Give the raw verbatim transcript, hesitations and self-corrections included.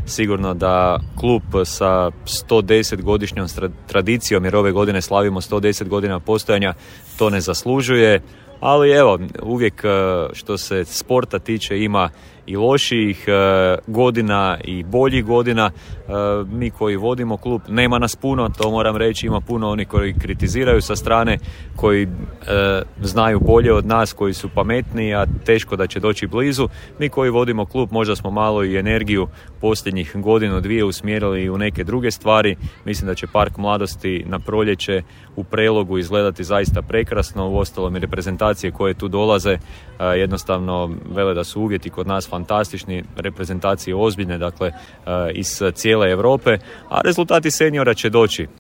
sigurno da klub sa sto deset godišnjom tradicijom, jer ove godine slavimo sto deset godina postojanja, to ne zaslužuje. Ali evo, uvijek što se sporta tiče ima i lošijih godina i boljih godina. Mi koji vodimo klub, nema nas puno, to moram reći, ima puno oni koji kritiziraju sa strane, koji znaju bolje od nas, koji su pametniji, a teško da će doći blizu. Mi koji vodimo klub možda smo malo i energiju posljednjih godinu, dvije usmjerili u neke druge stvari. Mislim da će Park mladosti na proljeće u Prelogu izgledati zaista prekrasno. Uostalom i reprezentacije koje tu dolaze jednostavno vele da su uvjeti kod nas fantastični, reprezentacije ozbiljne, dakle iz cijele Europe, a rezultati seniora će doći.